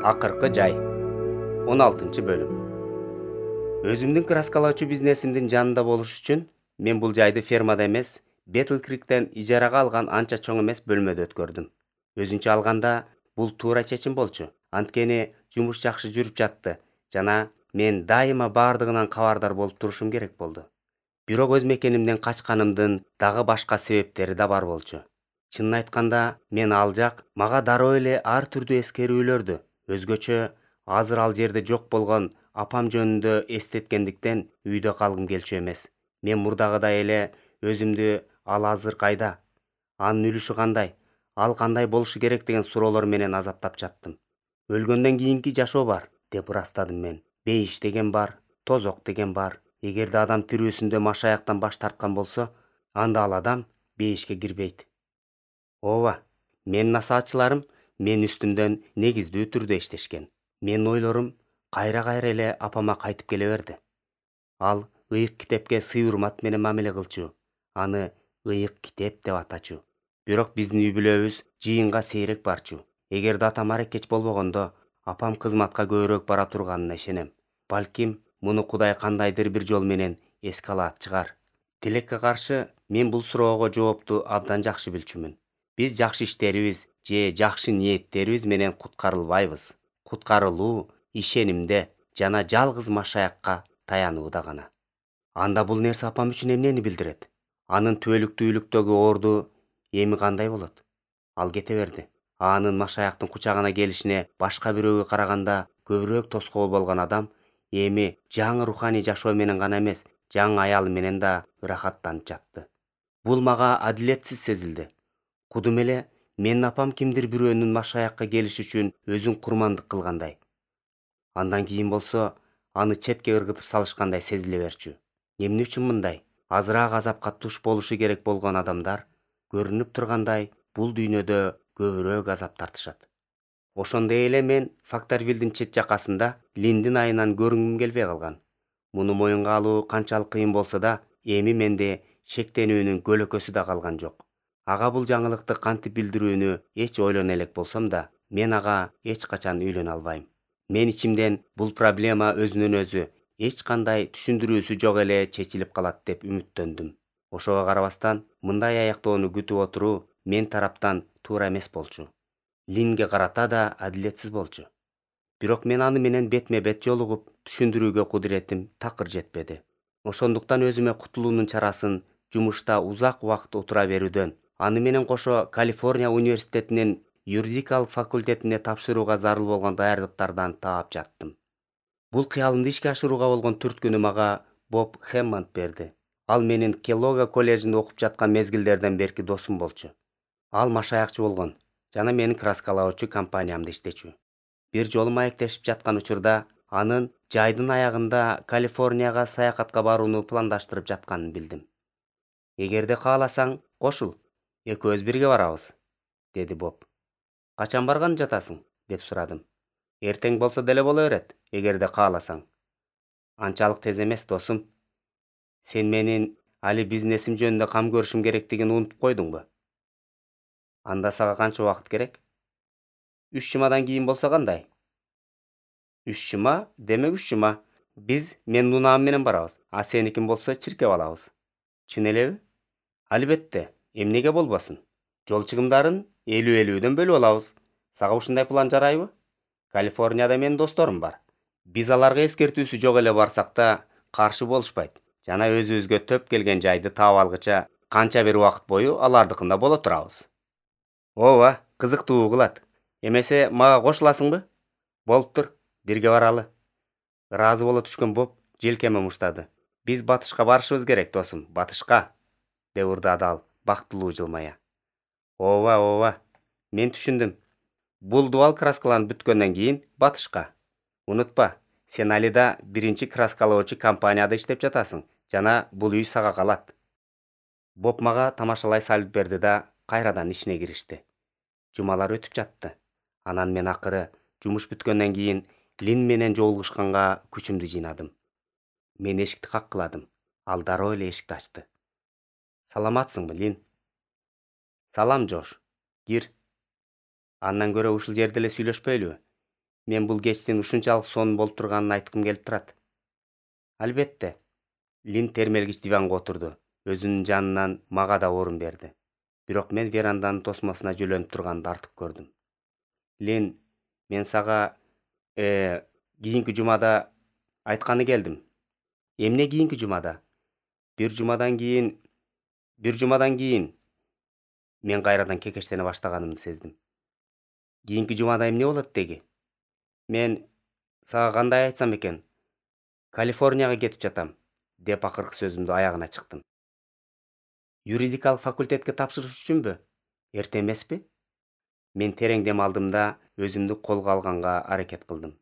Акыркы жай 16-бөлүм. Өзүмдүн краскалоочу бизнесимдин жанында болуш үчүн мен бул жайды фермада эмес, Бетл Криктен ижарага алган анча чоң эмес бөлмөдө өткөрдүм. Өзүнчө алганда бул туура чечим болчу. Анткени жумуш жакшы жүрүп жатты жана мен дайыма бардыгынан кабардар болуп турушум керек болду. Бирок өз мекенимден качканымдын дагы башка себептери да бар болчу. Чынын айтканда, мен ал жак мага дароо эле ар түрдүү эскерүүлөрдү, өзгөчө азыр ал жерде жок болгон апам жөнүндө эстеткендиктен үйдө калгым келчү эмес. Мен мурдагыдай эле өзүмдү ал азыр кайда, анын үлүшү кандай, ал кандай болушу керек деген суроолор менен азаптап жаттым. Өлгөндөн кийинки жашоо бар деп ырастадым мен. Бейиш деген бар, тозок деген бар. Эгерде адам тирүүсүндө машаяктан баш тарткан болсо, анда ал адам бейишке кирбейт. Ооба, менин насаатчыларым мен үстүмдөн негиздүү түрдө иштешкен. Менин ойлорум кайра-кайра эле апама кайтып келе берди. Ал ыйык китепке сый-урмат менен мамиле кылчу, аны ыйык китеп деп атачу. Бирок биздин үй-бүлөбүз жыйынга сейрек барчу. Эгерде атам аракеч болбогондо, апам кызматка көбүрөөк бара турганына ишенем. Балким, муну Кудай кандайдыр бир жол менен эске алат чыгар. Тилекке каршы, мен бул суроого жоопту абдан жакшы билчүмүн. Биз жакшы иштерибиз же жакшы ниеттерибиз менен куткарылбайбыз. Куткарылуу ишенимде жана жалгыз машаякка таянууда гана. Анда бул нерсе апам үчүн эмнени билдирет? Анын түбөлүктүүлүктөгү орду эми кандай болот? Ал кете берди. Анын машаяктын кучагына келишине башка бирөөгө караганда көбүрөөк тоскоол болгон адам эми жаңы руханий жашоо менен гана эмес, жаңы аялы менен да ырахаттанып жатты. Бул мага адилетсиз сезилди. Кудум эле менин апам кимдир бирөөнүн машаякка келиш үчүн өзүн курмандык кылгандай. Андан кийин болсо, аны четке ыргытып салышкандай сезиле берчү. Эмне үчүн мындай? Азыраак азапка туш болушу керек болгон адамдар көрүнүп тургандай бул дүйнөдө көбүрөөк азап тартышат. Ошондой эле мен Фактарвилдин чет жакасында Линдин айынан көрүнгүм келбей калган. Муну моюнга алуу канчалык кыйын болсо да, эми менде шектенүүнүн көлөкөсү да калган жок. Ага бул жаңылыкты кантип билдирүүнү эч ойлоно элек болсом да, мен ага эч качан үйлөнө албайм. Мен ичимден бул проблема өзүнөн өзү эч кандай түшүндүрүүсү жок эле чечилип калат деп үмүттөндүм. Ошого карабастан, мындай аяктоону күтүп отуруу мен тараптан туура эмес болчу. Линге карата да адилетсиз болчу. Бирок мен аны менен бетме-бет жолугуп, түшүндүрүүгө кудуретим такыр жетпеди. Ошондуктан өзүмө кутулуунун чарасын жумушта узак убакыт отура берүүдөн, аны менен кошо Калифорния университетинин юридикалык факультетине тапшырууга зарыл болгон даярдыктардан таап жаттым. Бул кыялымды ишке ашырууга болгон түрткүнү мага Боб Хэммонд берди. Ал менин Келлога коллежинде окуп жаткан мезгилдерден берки досум болчу. Ал машаякчы болгон жана менин краскалоочу компаниямда иштечү. Бир жолу маектешип жаткан учурда анын жайдын аягында Калифорнияга саякатка барууну пландаштырып жатканын билдим. Эгерде кааласаң, кошул, экөөбүз бирге барабыз, деди Боб. Качан барганы жатасың? Деп сурадым. Эртең болсо деле боло берет, эгерде кааласаң. Анчалык тез эмес, досум. Сен менин али бизнесим жөнүндө кам көрүшүм керектигин унутуп койдуңбу? Анда сага канча убакыт керек? 3 жумадан кийин болсо кандай? 3 жума? Демек 3 жума. Биз менин унаам менен барабыз, а сеникин болсо чиркеп алабыз. Чын элеби? Албетте, эмнеге болбосун? Жол чыгымдарын 50-50дөн бөлүп алабыз. Сага ушундай план жарайбы? Калифорнияда менин досторум бар. Биз аларга эскертүүсү жок эле барсак да каршы болушпайт. Жана өзүбүзгө төп келген жайды таап алгыча канча бир убакыт бою алардыкында боло турабыз. Ооба, кызыктуу кылат. Эмесе мага кошуласыңбы? Болуптур, бирге баралы. Ыраазы боло түшкөн Боб желкеме муштады. Биз батышка барышыбыз керек, досум, батышка, деп ырдады ал бактылуу жылмая. Ооба, мен түшүндүм. Бул дубал краскаланып бүткөндөн кийин батышка. Унутпа, сен алида биринчи краскалоочу компанияда иштеп жатасың жана бул үй сага калат. Боб мага тамашалай салют берди да кайрадан ишине киришти. Жумалар өтүп жатты. Анан мен акыры жумуш бүткөндөн кийин Лин менен жолугушканга күчүмдү жыйнадым. Мен эшикти каккыладым. Ал дароо эле эшикти ачты. Саламатсыңбы, Лин? Салам, Жош. Кир. Андан көрө ушул жерде эле сүйлөшпөйлүбү? Мен бул кечтин ушунчалык сонун болуп турганын айткым келип турат. Албетте. Лин термелгич диванга отурду. Өзүнүн жанынан мага да орун берди. Бирок мен веранданын тосмосуна жөлөнүп турганды артык көрдүм. Лин, мен сага кийинки жумада айтканы келдим. Эмне кийинки жумада? Бир жумадан кийин мен кайрадан кекештене баштаганымды сездим. Кийинки жумада эмне болот деги? Мен сага кандай айтсам экен? Калифорнияга кетип жатам, деп акыркы сөзүмдү аягына чыктым. Юридикалык факультетке тапшырыш үчүнбү? Эрте эмеспи? Мен терең дем алдым да өзүмдү колго алганга аракет кылдым.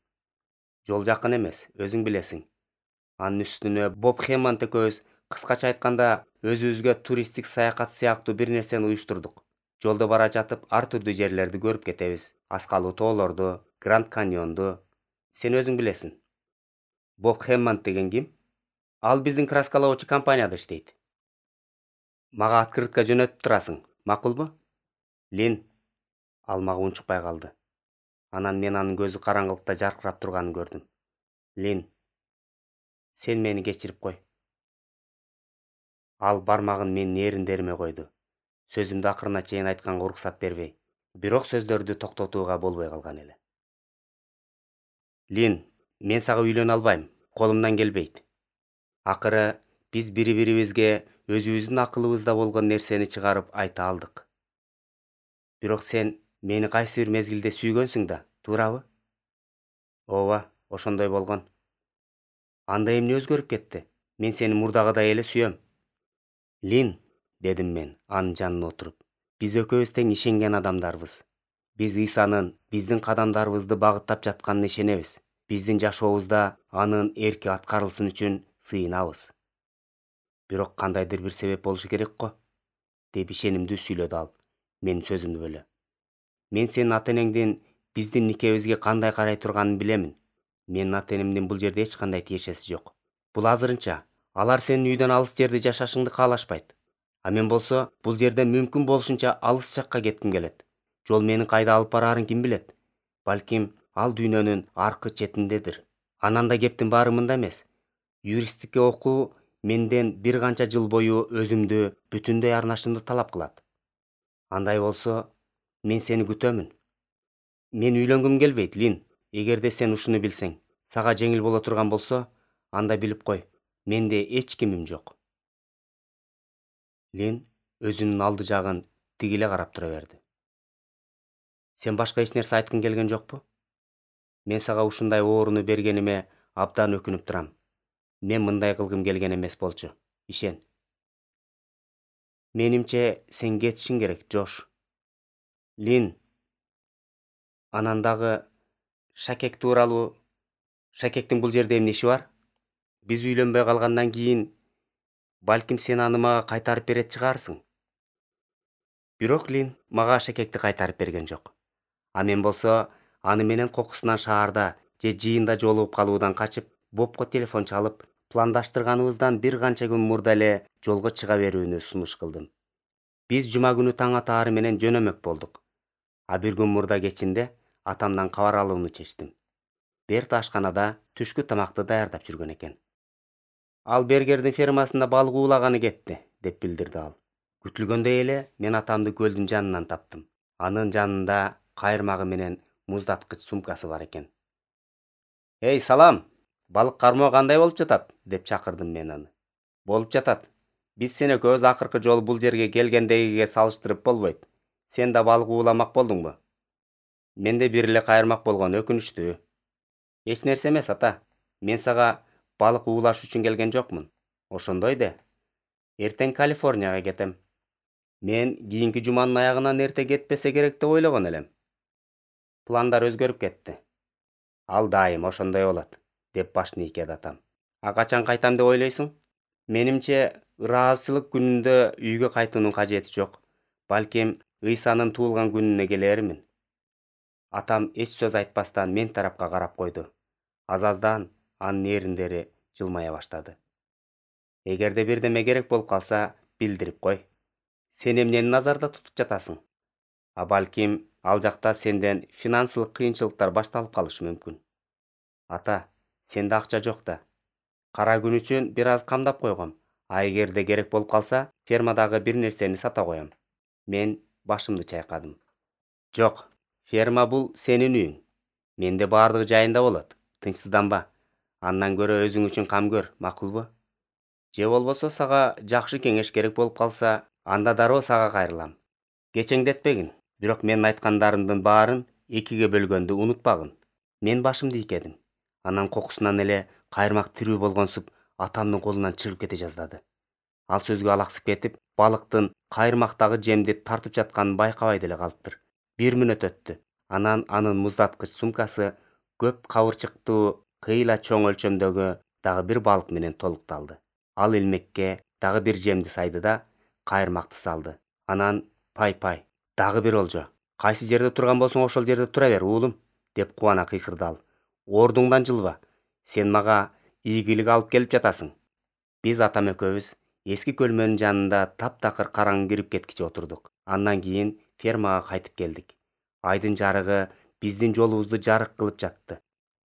Жол жакын эмес, өзүң билесиң. Анын үстүнө Боб Хэммонд экөөбүз кыскача айтканда өзүбүзгө туристтик саякат сыяктуу бир нерсени уюштурдук. Жолдо бара жатып ар түрдүү жерлерди көрүп кетебиз. Аскалуу тоолорду, Гранд Каньонду. Сен өзүң билесиң. Боб Хэммонд деген ким? Ал биздин краскалоочу компанияда иштейт. Мага открытка жөнөтүп турасың, макулбу? Лин, ал мага унчукпай калды. Анан мен анын көзү караңгылыкта жаркырап турганын көрдүм. Лин, сен мени кечирип кой. Ал бармагын менин эриндериме койду. Сөзүмдү акырына чейин айтканга уруксат бербей, бирок сөздөрдү токтотууга болбой калган эле. Лин, мен сага үйлөнө албайм, колумдан келбейт. Акыры биз бири-бирибизге өзүбүздүн акылыбызда болгон нерсени чыгарып айта алдык. Бирок сен мени кайсы бир мезгилде сүйгөнсүң да, туурабы? Ооба, ошондой болгон. Анда эмне өзгөрүп кетти? Мен сени мурдагыдай эле сүйөм. Лин, дедим мен анын жанына отуруп. Биз экөөбүз тең ишенген адамдарбыз. Биз Исанын биздин кадамдарыбызды багыттап жатканына ишенебиз. Биздин жашообузда анын эрки аткарылсын үчүн сыйынабыз. Бирок кандайдыр бир себеп болушу керек го, деп ишенимдүү сүйлөдү ал, менин сөзүмдү бөлө. Мен сенин ата-энеңдин биздин никебизге кандай карай турганын билемин. Менин ата-энемдин бул жерде эч кандай тиешеси жок. Бул азырынча. Алар сенин үйдөн алыс жерде жашашыңды каалашпайт. А мен болсо бул жерден мүмкүн болушунча алыс жакка кетким келет. Жол менин кайда алып бараарын ким билет? Балким ал дүйнөнүн аркы четиндедир. Анан да кептин баары мында эмес. Юристтикке окуу менден бир канча жыл бою өзүмдү бүтүндөй арнашымды талап кылат. Андай болсо, мен сени күтөмүн. Мен үйлөнгүм келбейт, Лин. Эгерде сен ушуну билсең, сага жеңил боло турган болсо, анда билип кой, менде эч кимим жок. Лин өзүнүн алды жагын тигиле карап тура берди. Сен башка эч нерсе айткың келген жокпу? Мен сага ушундай ооруну бергениме абдан өкүнүп турам. Мен мындай кылгым келген эмес болчу. Ишен. Менимче сен кетишиң керек, Жош. Лин. Анан дагы Шакек тууралуу. Шакектин бул жерде эмне иши бар? Биз үйлөнбөй калгандан кийин балким сен аны мага кайтарып берет чыгарсың. Бирок Лин мага Шакекти кайтарып берген жок. А мен болсо аны менен кокусунан шаарда же жыйында жолугуп калуудан качып, Бобко телефон чалып, пландаштырганыбыздан бир канча күн мурда эле жолго чыга берүүнү сунуш кылдым. Биз жума күнү таң атаары менен жөнөмөк болдук. А бир күн мурда кечинде атамдан кабар алууну чечтим. Берт ашканада түшкү тамакты даярдап жүргөн экен. Ал Бергердин фермасында балык уулаганы кетти, деп билдирди ал. Күтүлгөндөй эле мен атамды көлдүн жанынан таптым. Анын жанында кайырмагы менен муздаткыч сумкасы бар экен. Эй, салам! Балык кармоо кандай болуп жатат? Деп чакырдым мен аны. Болуп жатат. Биз сен экөөбүз акыркы жолу бул жерге келгендегиге салыштырып болбойт. Сен да балык ууламак болдуңбу? Менде бир эле кайырмак болгон, өкүнүчтүү. Эч нерсе эмес, ата. Мен сага балык уулаш үчүн келген жокмун. Ошондой де. Эртең Калифорнияга кетем. Мен кийинки жуманын аягынан эрте кетпесе керек деп ойлогон элем. Пландар өзгөрүп кетти. Ал дайым ошондой болот, деп башын ийкеди атам. А качан кайтам деп ойлойсуң? Менимче, ыраазычылык күнүндө үйгө кайтуунун кажети жок. Балким Ыйсанын туулган күнүнө келермин. Атам эч сөз айтпастан мен тарапка карап койду. Азаздан анын эриндери жылмая баштады. Эгерде бирдеме керек болуп калса, билдирип кой. Сен эмнени назарда тутуп жатасың? Балким ал жакта сенден финансылык кыйынчылыктар башталып калышы мүмкүн. Ата, сенде акча жок да. Кара күн үчүн бир аз камдап койгом. Эгерде керек болуп калса, фермадагы бир нерсени сата коем. Мен башымды чайкадым. Жок, ферма бул сенин үйүң. Менде баардыгы жайында болот. Тынчсызданба. Андан көрө өзүң үчүн кам көр, макулбу? Же болбосо сага жакшы кеңеш керек болуп калса, анда дароо сага кайрылам. Кечеңдетпегин, бирок менин айткандарымдын баарын экиге бөлгөндү унутпагын. Мен башымды ийкедим. Анан кокусунан эле кайырмак тирүү болгонсуп атамдын колунан чыгып кете жаздады. Ал сөзгө алаксып кетип, балыктын кайырмактагы жемди тартып жатканын байкабай деле калыптыр. 1 мүнөт өттү. Анан анын муздаткыч сумкасы көп кабырчыктуу, кыйла чоң өлчөмдөгү дагы бир балык менен толукталды. Ал илмекке дагы бир жемди сайды да, кайырмакты салды. Анан пай, дагы бир олжо. Кайсы жерде турган болсоң ошол жерде тура бер, уулум, деп кубана кыйкырды ал. Ордуңдан жылба. Сен мага ийгилик алып келип жатасың. Биз атам экөөбүз эски көлмөнүн жанында таптакыр караңгы кирип кеткиче отурдук. Андан кийин фермага кайтып келдик. Айдын жарыгы биздин жолубузду жарык кылып жатты.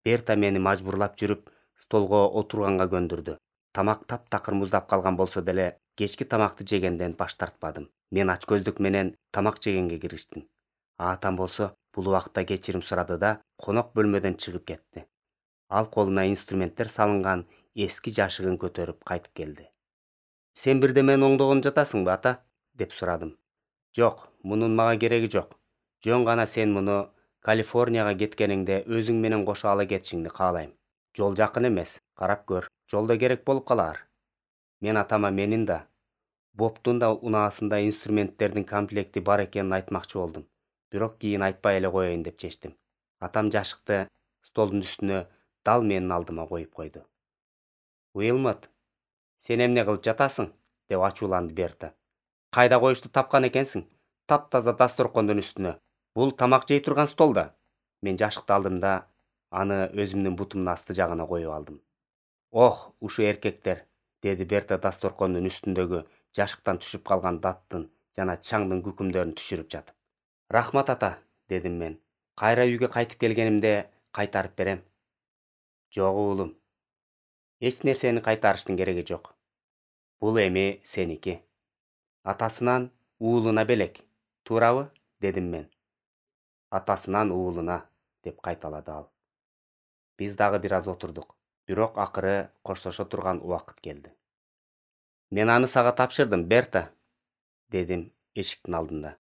Берта мени мажбурлап жүрүп, столго отурганга көндүрдү. Тамак таптакыр муздап калган болсо деле, кечки тамакты жегенден баш тартпадым. Мен ачкөздүк менен тамак жегенге кириштим. Атам болсо бул убакта кечирим сурады да, конок бөлмөдөн чыгып кетти. Ал колуна инструменттер салынган эски жашыгын көтөрүп кайтып келди. Сен бирдемени оңдогон жатасыңбы, ата? Деп сурадым. Жок, мунун мага кереги жок. Жөн гана сен муну Калифорнияга кеткениңде өзүң менен кошо ала кетишиңди каалайм. Жол жакын эмес, карап көр. Жолдо керек болуп калар. Мен атама менин да, Бобтун да унаасында инструменттердин комплекти бар экенин айтмакчы болдум. Бирок кийин айтпай эле коеюн деп чечтим. Атам жашыкты столдун үстүнө дал менин алдыма коюп койду. Уилмот, сен эмне кылып жатасың? Деп ачууланды Берта. Кайда коюшту тапкан экенсиң? Таптаза дасторкондун үстүнө. Бул тамак жей турган стол да. Мен жашыкты алдым да, аны өзүмдүн бутумдун асты жагына коюп алдым. Ох, ушу эркектер, деди Берта дасторкондун үстүндөгү жашыктан түшүп калган даттын жана чаңдын күкүмдөрүн түшүрүп жатып. Рахмат ата, дедим мен. Кайра үйгө кайтып келгенимде кайтарып берем. Жок уулум. Эч нерсени кайтарыштын кереги жок. Бул эми сеники. Атасынан уулуна белек, туурабы? Дедим мен. Атасынан уулуна, деп кайталады ал. Биз дагы бир аз отурдук. Бирок акыры коштошо турган убакыт келди. Мен аны сага тапшырдым, Берта, дедим эшиктин алдында.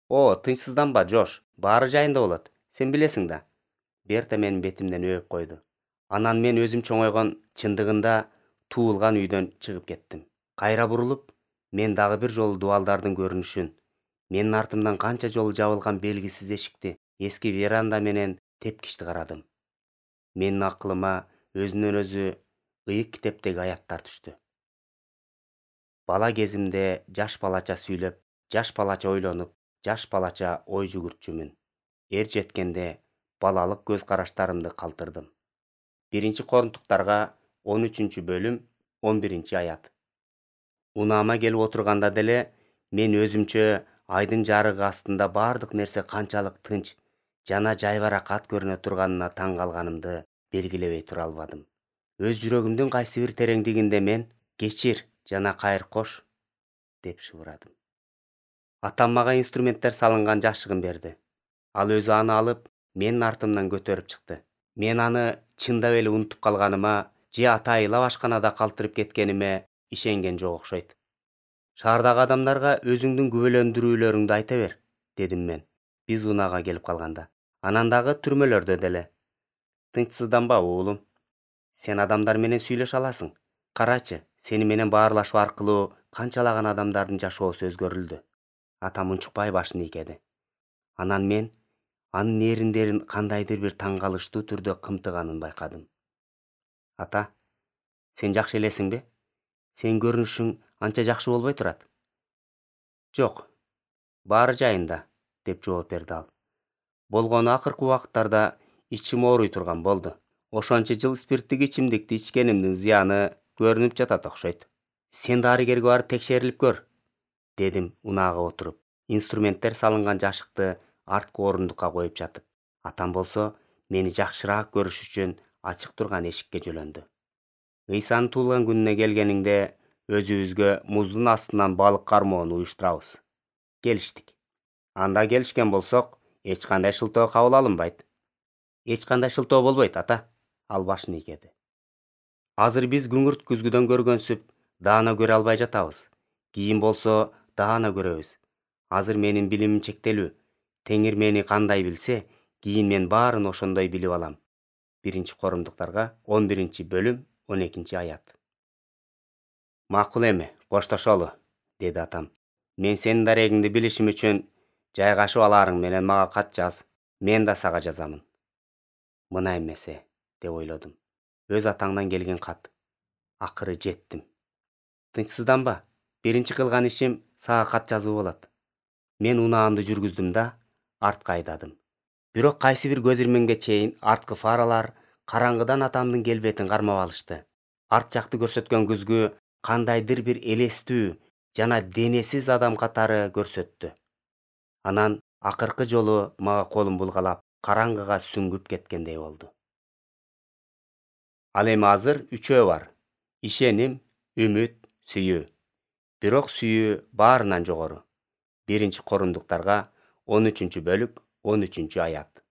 О, тынчсызданба, Жош, баары жайында болот. Сен билесиң да. Берта менин бетимден өбүп койду. Анан мен өзүм чоңойгон, чындыгында туулган үйдөн чыгып кеттим. Кайра бурулуп, мен дагы бир жолу дубалдардын көрүнүшүн, менин артымдан канча жолу жабылган белгисиз эшикти, эски веранда менен тепкичти карадым. Менин акылыма өзүнөн өзү ыйык китептеги аяттар түштү. Бала кезимде жаш балача сүйлөп, жаш балача ойлонуп, жаш балача ой жүгүртчүмүн. Эр жеткенде балалык көз караштарымды калтырдым. 1 Корунтуктарга 13 бөлүм 11 аят. Унаама келип отурганда деле мен өзүмчө айдын жарыгы астында баардык нерсе канчалык тынч жана жайбаракат көрүнө турганына таң калганымды белгилебей тура албадым. Өз жүрөгүмдүн кайсы бир тереңдигинде мен кечир жана кайыр кош деп шыбырадым. Атам мага инструменттер салынган жашыгын берди. Ал өзү аны алып, менин артымдан көтөрүп чыкты. Мен аны чындап эле унутуп калганыма же атайыла башканада калтырып кеткениме ишенген жок окшойт. Шаардагы адамдарга өзүңдүн күбөлөндүрүүлөрүңдү айта бер, дедим мен. Биз унаага келип калганда. Анан дагы түрмөлөрдө деле. Тынчсызданба, уулум. Сен адамдар менен сүйлөшө аласың. Карачы, сени менен баарлашуу аркылуу канчалаган адамдардын жашоосу өзгөрүлдү. Атам унчукпай башын ийкеди. Анан мен анын эриндерин кандайдыр бир таң калыштуу түрдө кымтыганын байкадым. Ата, сен жакшы элесиңби? Сен көрүнүшүң анча жакшы болбой турат. Жок, баары жайында, деп жооп берди ал. Болгону акыркы убакыттарда ичим ооруй турган болду. Ошончо жыл спирттик ичимдикти ичкенимдин зыяны көрүнүп жатат окшойт. Сен дарыгерге барып текшерилип көр, дедим унаага отуруп. инструменттер салынган жашыкты арткы орундукка коюп жатып, атам болсо мени жакшыраак көрүш үчүн ачык турган эшикке жөлөндү. Ыйсанын туулган күнүнө келгениңде өзүбүзгө муздун астынан балык кармоону уюштурабыз. Келиштик. Анда келишкен болсок, эч кандай шылтоо кабыл алынбайт. Эч кандай шылтоо болбойт, ата. Ал башын ийгеди. Азыр биз күңүрт күзгүдөн көргөнсүп, даана көрө албай жатабыз. Кийин болсо даана көрөбүз. Азыр менин билимим чектелүү. Теңир мени кандай билсе, кийин мен баарын ошондой билип алам. 1-Корундуктарга 11-бөлүм 12-аят. Макул эми, коштошолу, деди атам. Мен сенин дарегиңди билишим үчүн жайгашып аларың менен мага кат жаз. Мен да сага жазамын. Мына эмесе, деп ойлодум. Өз атаңдан келген кат. Акыры жеттим. Тынчсызданба. Биринчи кылган ишим сага кат жазуу болот. Мен унаамды жүргүздүм да, артка айдадым. Бирок кайсы бир көз ирмемге чейин арткы фаралар караңгыдан атамдын келбетин кармап алышты. Арт жакты көрсөткөн күзгү кандайдыр бир элестүү жана денесиз адам катары көрсөттү. Анан акыркы жолу мага колун булгалап, караңгыга сүңгүп кеткендей болду. Ал эми азыр үчөө бар. Ишеним, үмүт, сүйүү. Бирок сүйүү баарынан жогору. 1-Корундуктарга 13-бөлүк 13-аят.